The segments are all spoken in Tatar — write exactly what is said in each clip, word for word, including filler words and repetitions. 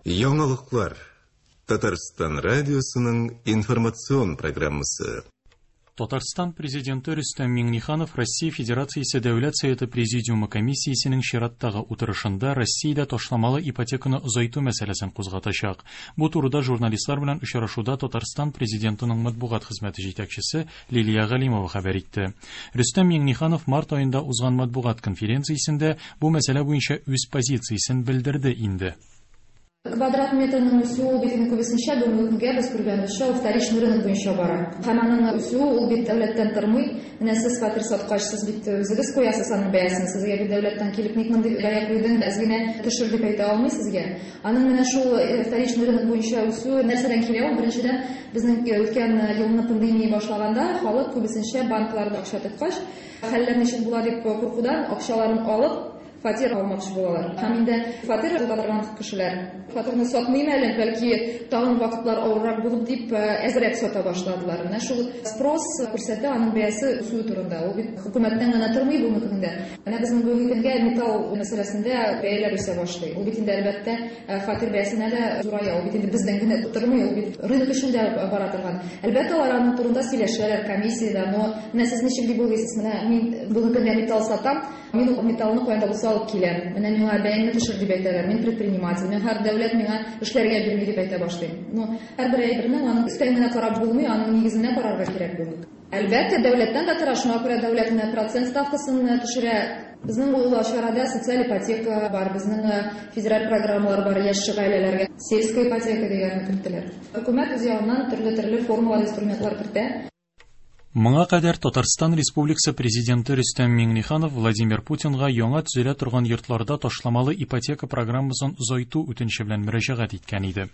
Яңалыклар. Татарстан радиосының информацион программасы. Татарстан президенты Рөстәм Миңнеханов Россия Федерациясе Дәүләт Советы Президиумы комиссиясенең чираттагы утырышында Россиядә ташламалы ипотеканы озайту мәсьәләсен кузгатачак. Бу турыда журналистлар белән очрашуда Татарстан президентының матбугат хезмәте җитәкчесе Лилия Галимова хәбәр итте. Рөстәм Миңнеханов март аенда узган матбугат конференциясендә бу мәсьәлә буенча үз позициясен белдерде инде. Квадрат метрының үсүе бит инде күбесенчә бүгенге көнгә без күргәнебезчә ул вторичный рынок буенча бара. Һәм аның үсүе ул бит дәүләттән тормый. Менә сез фатир саткач, сез бит үзегез куясыз аның бәясен. Сезгә бит дәүләттән килеп ник мондый бәя куйдың, әз генә төшер дип әйтә алмый сезгә. Аның менә шул вторичный рынок буенча үсүе нәрсәдән килә ул? Беренчедән, безнең үткән елны пандемия башлаганда халык күбесенчә банкларда акча тоткач, хәлләр ничек була дип куркудан акчаларын алып фатир алмакчы булалар. Һәм инде фатир тота торган кешеләр фатирны сатмыйм әле, бәлки тагын вакытлар авыррак булып дип әзрәк сата башладылар. Менә шул спрос күрсәтә аның бәясе үсүе турында. Ул бит хөкүмәттән генә тормый бүгенге көндә. Менә безнең бүгенге көнгә металл мәсьәләсендә бәяләр үсә башлый. Ул бит инде әлбәттә фатир бәясенә дә зурая. Ул бит инде бездән генә тормый, ул бит рынок эчендә бара торган. Әлбәттә, алар аның турында сөйләшәләр комиссиядә, но менә сез ничек дип уйлыйсыз? Менә мин бүгенге көндә металл сатам, мин ул металлны каян да булса алып киләм. Менә миңа бәяңне төшер дип әйтәләр. Мин предприниматель, мин һәр дәүләт миңа эшләргә бирми дип әйтә башлыйм. Но һәрбер әйбернең аның өстән генә карап булмый, аның нигезенә карарга кирәк бүгенге. Әлбәттә, дәүләттән дә тора, шуңа күрә дәүләт менә процент ставкасын төшерә. Безнең ул чарада социаль ипотека бар, безнең федераль программалар бар яшь гаиләләргә. Сельская ипотека дигәнне керттеләр. Хөкүмәт үз ягыннан төрле-төрле формалар, инструментлар кертә. Моңа кадәр Татарстан Республикасы президенты Рөстәм Миңнеханов Владимир Путинга яңа төзелә торган йортларда ташламалы ипотека программасын озайту үтенече белән мөрәҗәгать иткән иде.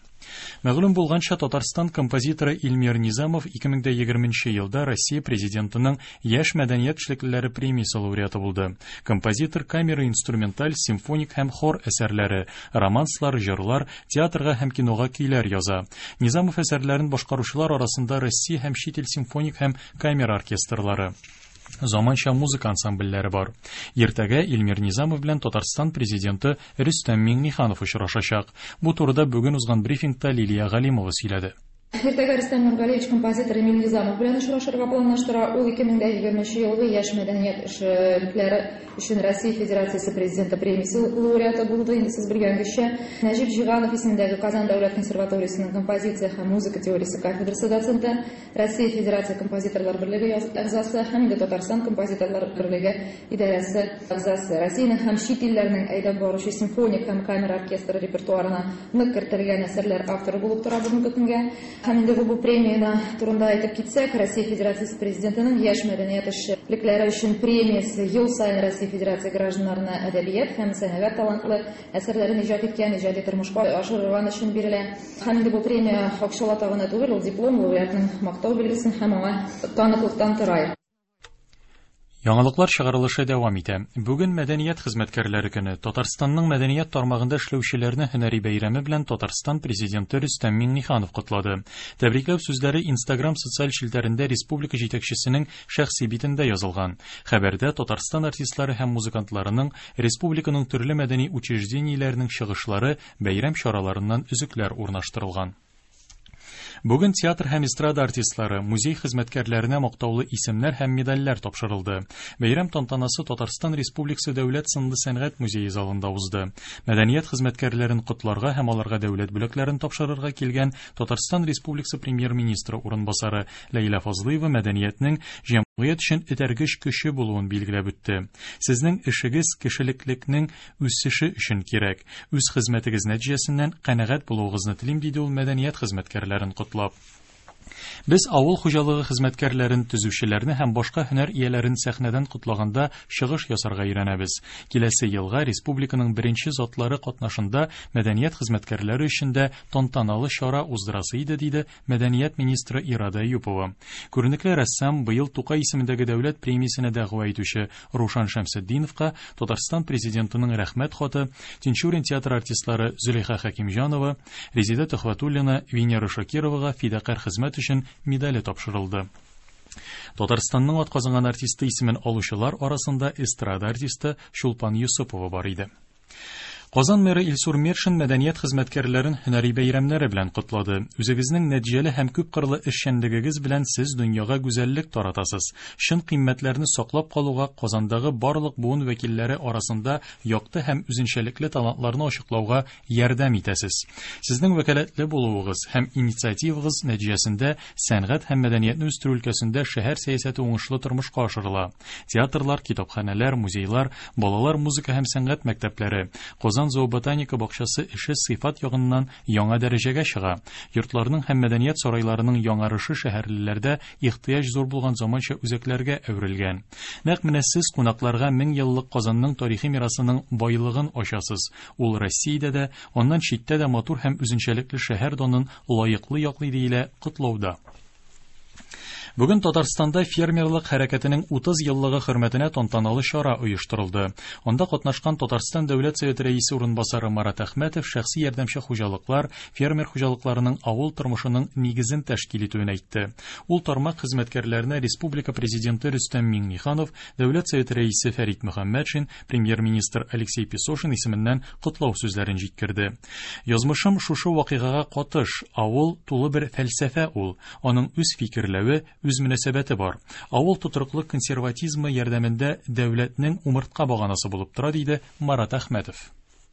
Мәгълүм булганча, Татарстан композиторы Илмир Низамов ике мең дә егерменче елда Россия президентының Яшь мәдәният эшлеклеләре премиясе лауреаты булды. Композитор камера инструменталь, симфоник һәм хор әсәрләре, романслар, җырлар, театрга һәм кинога көйләр яза. Низамов әсәрләрен башкаручылар арасында Россия һәм чит ил симфоник һәм камера оркестрлары, заманча музыка ансамбльләре бар. Иртәгә Илмир Низамов белән Татарстан президенты Рөстәм Миңнеханов очрашачак. Бу турыда бүген узган брифингта Лилия Галимова сөйләде. Иртәгә Рөстәм Нургалиевич композитор Эмиль Низамов белән очрашырга планлаштыра. Ул ике мең дә егерменче елгы яшь мәдәният эшлекләре өчен Россия Федерациясе президенты премиясе лауреаты булды. Инде сез белгәнгечә, Нәҗип Җиганов исемендәге Казан дәүләт консерваториясенең композиция һәм музыка теориясе кафедрасы доценты, Россия Федерация композиторлар берлеге әгъзасы һәм инде Татарстан композиторлар берлеге идарәсе әгъзасы. Россиянең һәм чит илләрнең әйдәп баручы симфоник һәм камера оркестры репертуарына нык кертелгән әсәрләр авторы булып тора бүгенге көнгә. Һәм инде бу премияны турында әйтеп китсәк, Россия Федерациясе президентының яшь мәдәният эшлекләре өчен премиясе ел саен Россия Федерация гражданнарына әдәбият һәм сәнгать талантлы әсәрләрен иҗат иткән, иҗади тормышка ашырган өчен бирелә. Һәм инде бу премия акчалата гына түгел, ул диплом, лауреатның мактау билгесен һәм аңа таныклыктан тора. Яңалыклар чыгарылышы дәвам итә. Бүген мәдәният хезмәткәрләре көне. Татарстанның мәдәният тармагында эшләүчеләрне һөнәри бәйрәме белән Татарстан президенты Рөстәм Миңнеханов котлады. Тәбрикләү сүзләре Instagram социаль челтәрендә республика җитәкчесенең шәхси битендә язылган. Хәбәрдә Татарстан артистлары һәм музыкантларының республиканың төрле мәдәни учреждениеләренең чыгышлары бәйрәм чараларыннан өзекләр урнаштырылган. Бүген театр һәм эстрада артистлары, музей хезмәткәрләренә мактаулы исемнәр һәм медальләр тапшырылды. Бәйрәм тантанасы Татарстан Республикасы Дәүләт сынлы сәнгать музее залында узды. Мәдәният хезмәткәрләрен котларга һәм аларга дәүләт бүләкләрен тапшырырга килгән Татарстан Республикасы премьер-министры урынбасары Ләйлә Фазлыева мәдәниятнең җәмгыять өчен этәргеч көче булуын билгеләп үтте. Сезнең эшегез кешелеклекнең үсеше өчен кирәк. Үз хезмәтегез нәтиҗәсеннән канәгать булуыгызны телим, диде ул мәдәният хезмәткәрләрен котлап. Без авыл хуҗалыгы хезмәткәрләрен, төзүчеләрне һәм башка һөнәр ияләрен сәхнәдән котлаганда чыгыш ясарга өйрәнәбез. Киләсе елга республиканың беренче затлары катнашында мәдәният хезмәткәрләре өчен дә тантаналы чара уздырасы иде, диде мәдәният министры Ирада Әюпова. Күренекле рәссам быел Тукай исемендәге дәүләт премиясенә дәгъва итүче Рушан Шәмсетдиновка Татарстан президентының рәхмәт хаты, Тинчурин театры артистлары Зөләйха Хәкимҗанова, Резеда Төхвәтуллина, Венера Шакировага фидакарь хезмәт өчен медале тапшырылды. Татарстанның атказанган артисты исемен алучылар арасында эстрада артисты Чулпан Юсупова бар иде. Казан мэры Илсур Метшин мәдәният хезмәткәрләрен һөнәри бәйрәмнәре белән котлады. Үзегезнең нәтиҗәле һәм күпкырлы эшчәнлегегез белән сез дөньяга гүзәллек таратасыз. Чын кыйммәтләрне саклап калуга, Казандагы барлык буын вәкилләре арасында якты һәм үзенчәлекле талантларны ачыклауга ярдәм итәсез. Сезнең вәкаләтле булуыгыз һәм инициативагыз нәтиҗәсендә сәнгать һәм мәдәниятне үстерү өлкәсендә шәһәр сәясәте уңышлы тормышка ашырыла. Театрлар, китапханәләр, музейлар, балалар музыка һәм сәнгать мәктәпләре, Казан зооботаника бакчасы эше сыйфат ягыннан яңа дәрәҗәгә чыга. Йортларның һәм мәдәният сарайларының яңарышы шәһәрлеләрдә ихтыяҗ зур булган заманча үзәкләргә әверелгән. Нәкъ менә сез кунакларга мең еллык Казанның тарихи мирасының байлыгын ачасыз. Ул Россиядә дә, аннан читтә дә матур һәм үзенчәлекле шәһәр данын лаеклы яклый диелә котлауда. Бүген Татарстанда фермерлык хәрәкәтенең утыз еллыгы хөрмәтенә тантаналы чара оештырылды. Анда катнашкан Татарстан Дәүләт Советы рәисе урынбасары Марат Әхмәтов шәхси ярдәмче хуҗалыклар, фермер хуҗалыкларының авыл тормышының нигезен тәшкил итүен әйтте. Ул тармак хезмәткәрләренә Республика Президенты Рөстәм Миңнеханов, Дәүләт Советы рәисе Фәрит Мөхәммәтшин, премьер-министр Алексей Песошин исеменнән котлау сүзләрен җиткерде. Язмышым шушы вакыйгага катыш, авыл тулы бер фәлсәфә ул, аның үз фикерләве, үз мөнәсәбәте бар. Авыл тотрыклы консерватизмы ярдәмендә дәүләтнең умыртка баганасы булып тора, диде Марат Әхмәтов.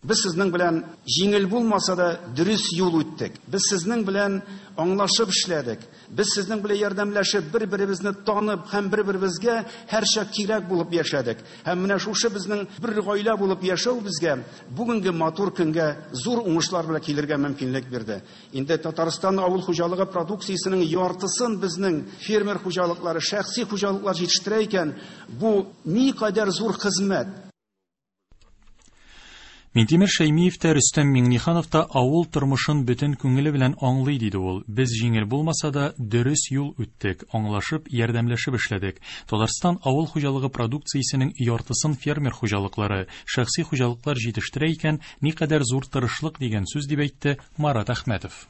Без сезнең белән җиңел булмаса да дөрес юл үттек. Без сезнең белән аңлашып эшләдек. Без сезнең белән ярдәмләшеп, бер-беребезне танып һәм бер-беребезгә һәрчак кирәк булып яшәдек. Һәм менә шушы безнең бер гаилә булып яшәү безгә бүгенге матур көнгә зур уңышлар белән килергә мөмкинлек бирде. Инде Татарстан авыл хуҗалыгы продукциясенең яртысын безнең фермер хуҗалыклары, шәхси хуҗалыклар җитештерә икән, бу никадәр зур хезмәт. Минтимер Шәймиев тә, Рөстәм Миңнеханов та авыл тормышын бөтен күңеле белән аңлый, диде ул. Без җиңел булмаса да дөрес юл үттек, аңлашып, ярдәмләшеп эшләдек. Татарстан авыл хуҗалыгы продукциясенең яртысын фермер хуҗалыклары, шәхси хуҗалыклар җитештерә икән, никадәр зур тырышлык дигән сүз, дип әйтте Марат Әхмәтов.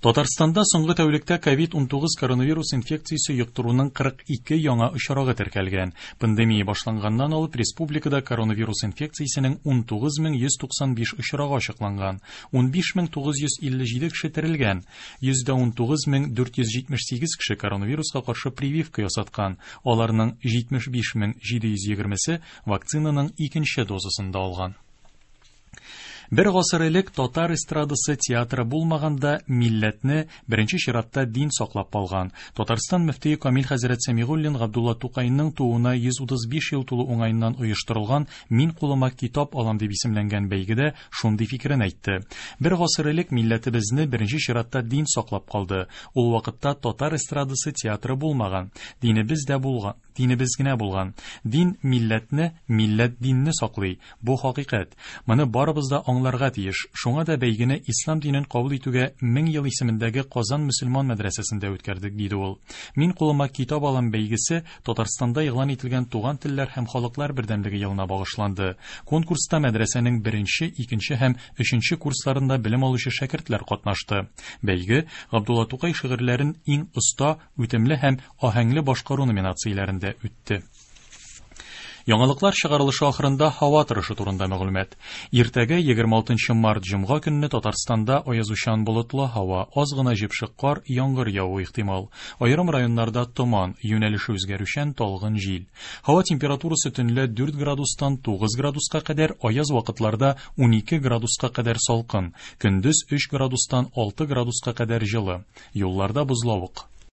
Татарстанда соңгы тәүлектә ковид унтугыз коронавирус инфекциясе йоктыруның кырык ике яңа очрагы теркәлгән. Пандемия башланганнан алып республикада коронавирус инфекциясенең унтугыз мең йөз туксан биш очрагы ачыкланган. Унбиш мең тугыз йөз илле җиде кеше терелгән. Йөздә унтугыз мең дүрт йөз җитмеш сигез кеше коронавируска каршы прививка ясаткан. Аларның җитмеш биш мең җиде йөз егермесе вакцинаның икенче дозасын да алган. Бер гасыр элек татар эстрадасы театры булмаганда милләтне беренче чиратта дин саклап калган. Татарстан мөфтие Камил хәзрәт Сәмигуллин Габдулла Тукайның тууына йөз утыз биш ел тулу уңаеннан оештырылган Мин кулыма китап алам дип исемләнгән бәйгедә шундый фикерен әйтте. Бер гасыр элек милләтебезне беренче чиратта дин саклап калды. Ул вакытта татар эстрадасы театры булмаган. Динебез дә булган, динебез генә булган. Дин милләтне, милләт динне саклый. Бу хакыйкать. Моны барыбыз да аңларга тиеш. Шуңа да бәйгене ислам динен кабул итүгә мең ел исемендәге Казан мөселман мәдрәсәсендә үткәрдек, диде ул. Мин кулыма китап алам бәйгесе Татарстанда игълан ителгән туган телләр һәм халыклар бердәмлеге елына багышланды. Конкурста мәдрәсәнең беренче, икенче һәм өченче курсларында белем алучы шәкертләр катнашты. Бәйге Габдулла Тукай шигырьләрен иң оста, үтемле һәм аһәңле башкару номинацияләрендә үтте. Яңалыклар чыгарылышы ахырында һава торышы турында мәгълүмат. Иртәгә егерме алтынчы март җомга көнне Татарстанда аязучан болытлы һава, аз гына җепшек кар, яңгыр явуы ихтимал. Аерым районнарда томан, юнәлеше үзгәрүчән талгын җил. Һава температурасы төнлә дүрт градустан тугыз градуска кадәр, аяз вакытларда унике градуска кадәр салкын, көндез өч градустан алты градуска кадәр җылы. Юлларда бозлавык.